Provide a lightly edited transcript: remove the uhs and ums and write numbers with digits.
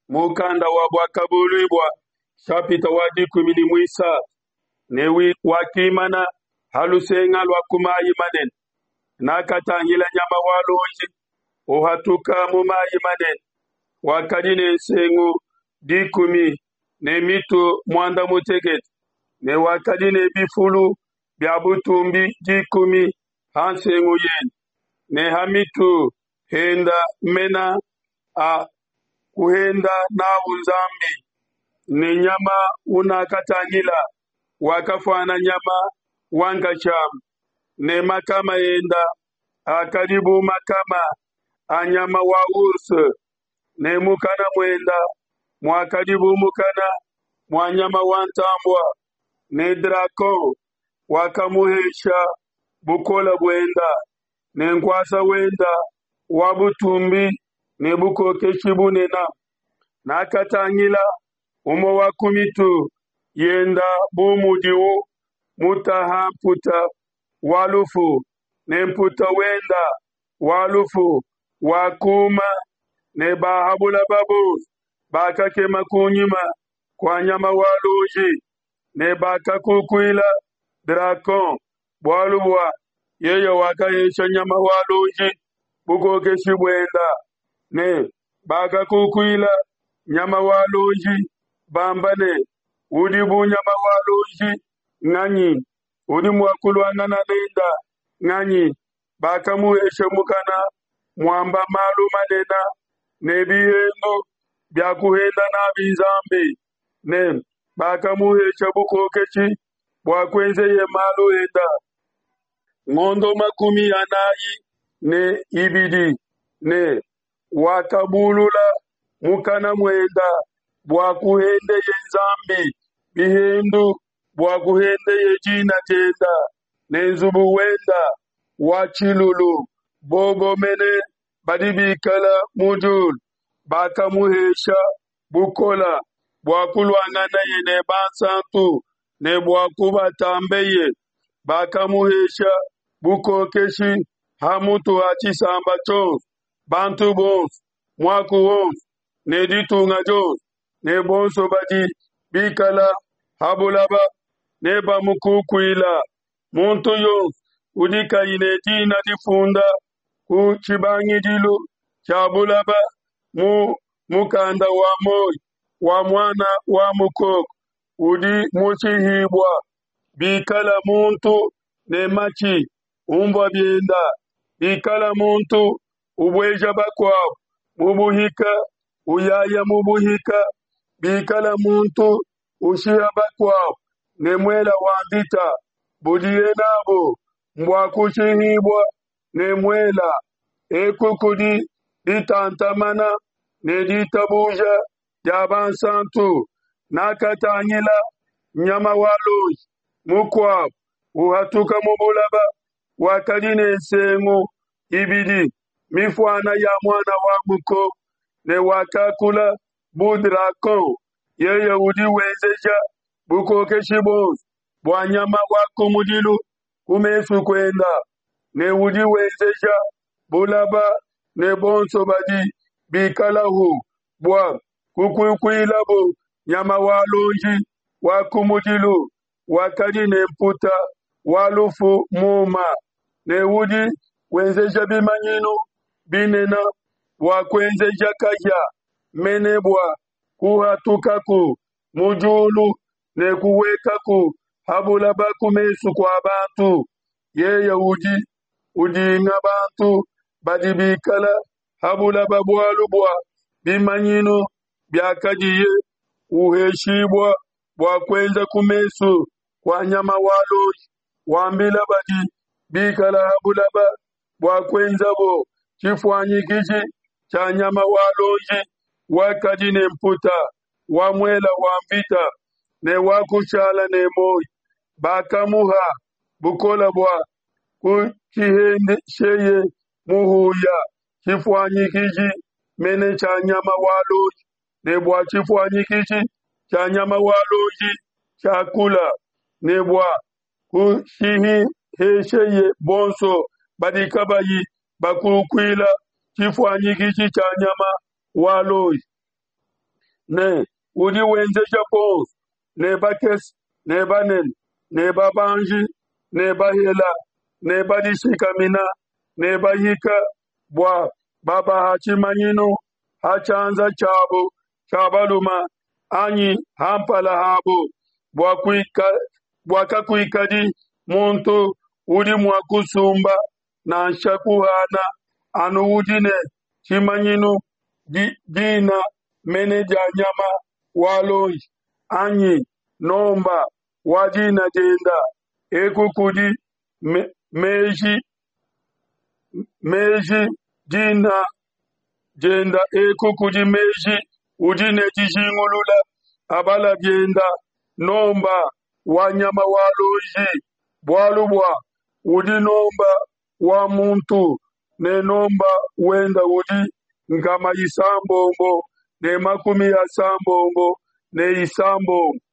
Mukanda wa Buakabuluibua nshapita wa 13 Ne wakimana ha lusenga lua ku mai manene. Nakatangila nyama wa luonji uhatuka mu mai manene, wakadi ne nsengu dikumi ne mitu muanda mutekete, ne wakadi ne bifulu bia butumbi dikumi ha nsengu yende, ne ha mitu henda mena a kuhenda n'au Nzambi. Ne nyama unakatangila wakafuana nyama wa nkashama, ne makama enda akadi bu makama a nyama wa ours, ne mukana muenda muakadi bu mukana mua nyama wa ntambua. Ne dragon wakamuhesha bukole buenda ne nkuasa wenda wa butumbi ne bukokeshi bunene. Nakatangila umue wa ku mitu yenda bu mudiwu mutaha mputa wa lufu, ne mputa wenda wa lufu wakuma, ne ba ha bulaba bonso bakakema kunyima kua nyama wa luonji, ne bakakukuila dragon, bualu bua yeye wakahesha nyama wa luonji bukokeshi buenda, ne bakakukuila nyama wa luonji, bamba ne, Udi bu nyama wa luonji nganyi? Udi mua kuluangana nenda nganyi? Bakamuhesha mukana muamba malu manene ne bihendu bia kuhenda n'abi Nzambi, ne bakamuhesha bukokeshi bua kuenzeye malu enda ngondo 42, ne wakabulula mukana muenda bua kuhendeye Nzambi bihendu, bua kuhendeye dina dienda ne nzubu wenda wa tshilulu, bobo mene badi bikala mu diulu. Bakamuhesha bukola bua kuluanganeye ne bansantu ne bua kubatambeye. Bakamuhesha bukokeshi ha mutu ha tshisamba tshionso, bantu bonso, muaku wonso ne ditunga dionso, ne bonso badi bikala ha bulaba nebamukukuila. Muntu yonso udi kayi ne dina difunda ku tshibangidilu tshia bulaba mu mukanda wa muoyo wa Muana wa Mukoko udi mushihibua. Bikala muntu ne matshi, unvua bienda. Bikala muntu ubueja bakuabo mu buhika, uyaya mu buhika. Bikala muntu ushiha bakuabo ne muela wa nvita, budiye n'abu mbua kushihibua ne muela. Eku kudi ditantamana ne ditabuja dia bansantu. Nakatangila nyama wa luonji mukuabo uhatuka mu bulaba, wakadi ne nsengu ibidi mifuana ya muana wa mukoko, ne wakakula bu dragon. Yeye udi wenzeja bukokeshi buonso bua nyama wa kumudilu ku mesu kuenda, ne udi wenzeja bulaba ne bonso badi bikalahu bua kukukuilabo nyama wa luonji wa kumudilu wakadi ne mputa wa lufu muma, ne udi wenzeja bimanyinu binene bua kuenzeja kahia mene bua kuhatukaku mu diulu ne kuhuekaku ha bulaba ku mesu kua bantu. Yeye udi udinga bantu badi bikala ha bulaba bualu bua bimanyinu biakadiye uheshibua bua kuenza ku mesu kua nyama wa luonji, wambila badi bikala ha bulaba bua kuenzabo tshifuanyikiji tshia nyama wa luonji wakadi ne mputa wa muela wa nvita ne wakushala ne muoyo. Bakamuha bukole bua kutshihendesheye muhuya, tshifuanyikiji mene tshia nyama wa luonji, ne bua tshifuanyikiji tshia nyama wa luonji tshiakula, ne bua kushihesheye bonso badi kabayi bakukuila tshifuanyikiji tshia nyama wa luonji. Ne udi wenzeja bonso, ne bakese ne banene, ne babanji ne bahela, ne badishikamina ne bahika, bua babaha tshimanyinu ha tshianza tshiabo tshia balume anyi ha mpala habo, bua kakuikadi muntu udi mua kusumba nansha kuhana, anu udi ne tshimanyinu, dina mene dia nyama wa luonji, anyi nomba wa dina dienda. Eku kudi meji meji dina dienda eku kudi meji udi ne dijingulula abala bienda nomba wa nyama wa luonji, bualu bua udi nomba wa muntu, ne nomba wenda udi 636.